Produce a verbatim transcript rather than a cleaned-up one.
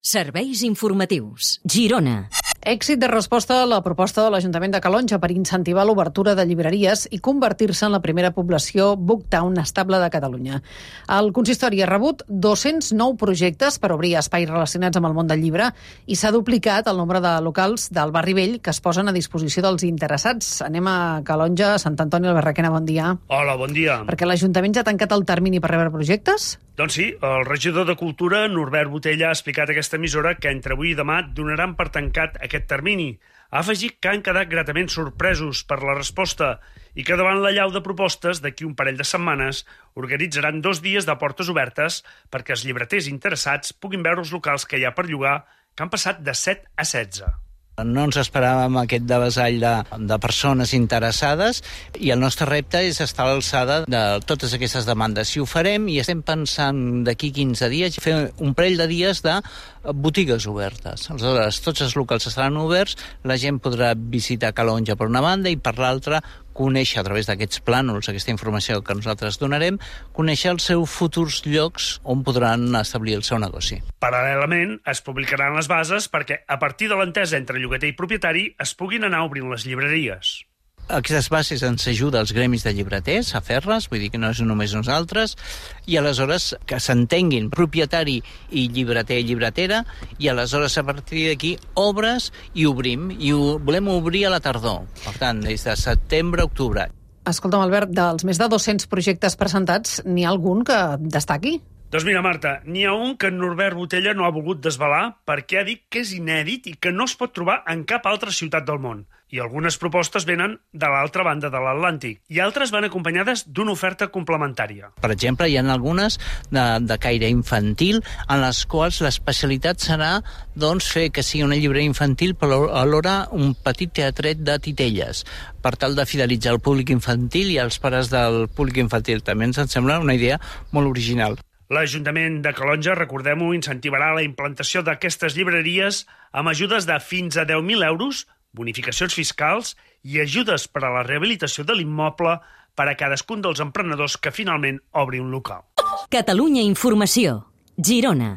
Serveis informatius. Girona. Èxit de resposta a la proposta de l'Ajuntament de Calonge per incentivar l'obertura de llibreries i convertir-se en la primera població Booktown estable de Catalunya. El consistori ha rebut dos-cents nou projectes per obrir espais relacionats amb el món del llibre i s'ha duplicat el nombre de locals del barri vell que es posen a disposició dels interessats. Anem a Calonge, Sant Antoni, el Barraquena, bon dia. Hola, bon dia. Perquè l'Ajuntament ja ha tancat el termini per rebre projectes? Doncs sí, el regidor de Cultura, Norbert Botella, ha explicat a aquesta emissora que entre avui i demà donaran per tancat aquest termini. Ha afegit que han quedat gratament sorpresos per la resposta i que davant la llau de propostes, d'aquí un parell de setmanes, organitzaran dos dies de portes obertes perquè els llibreters interessats puguin veure els locals que hi ha per llogar, que han passat de set a setze. No ens esperàvem aquest devessall de, de persones interessades i el nostre repte és estar a l'alçada de totes aquestes demandes. Si ho farem, i estem pensant d'aquí quinze dies, fer un parell de dies de botigues obertes. Aleshores, tots els locals estaran oberts, la gent podrà visitar Calonge per una banda i per l'altra conèixer a través d'aquests plànols, aquesta informació que nosaltres donarem, conèixer els seus futurs llocs on podran establir el seu negoci. Paral·lelament, es publicaran les bases perquè, a partir de l'entesa entre llogater i propietari, es puguin anar obrint les llibreries. Aquestes bases ens ajuda als gremis de llibreters a fer-les, vull dir que no és només nosaltres, i aleshores que s'entenguin propietari i llibreter i llibretera, i aleshores a partir d'aquí obres i obrim, i ho volem obrir a la tardor, per tant, des de setembre a octubre. Escolta'm, Albert, dels més de dos-cents projectes presentats, n'hi ha algun que destaqui? Doncs mira, Marta, n'hi ha un que Norbert Botella no ha volgut desvelar perquè ha dit que és inèdit i que no es pot trobar en cap altra ciutat del món. I algunes propostes venen de l'altra banda de l'Atlàntic i altres van acompanyades d'una oferta complementària. Per exemple, hi ha algunes de, de caire infantil en les quals l'especialitat serà doncs, fer que sigui una llibreria infantil però alhora un petit teatret de titelles per tal de fidelitzar el públic infantil i els pares del públic infantil. També ens sembla una idea molt original. L'Ajuntament de Calonge, recordem-ho, incentivarà la implantació d'aquestes llibreries amb ajudes de fins a deu mil euros, bonificacions fiscals i ajudes per a la rehabilitació de l'immoble per a cadascun dels emprenedors que finalment obri un local. Catalunya Informació. Girona.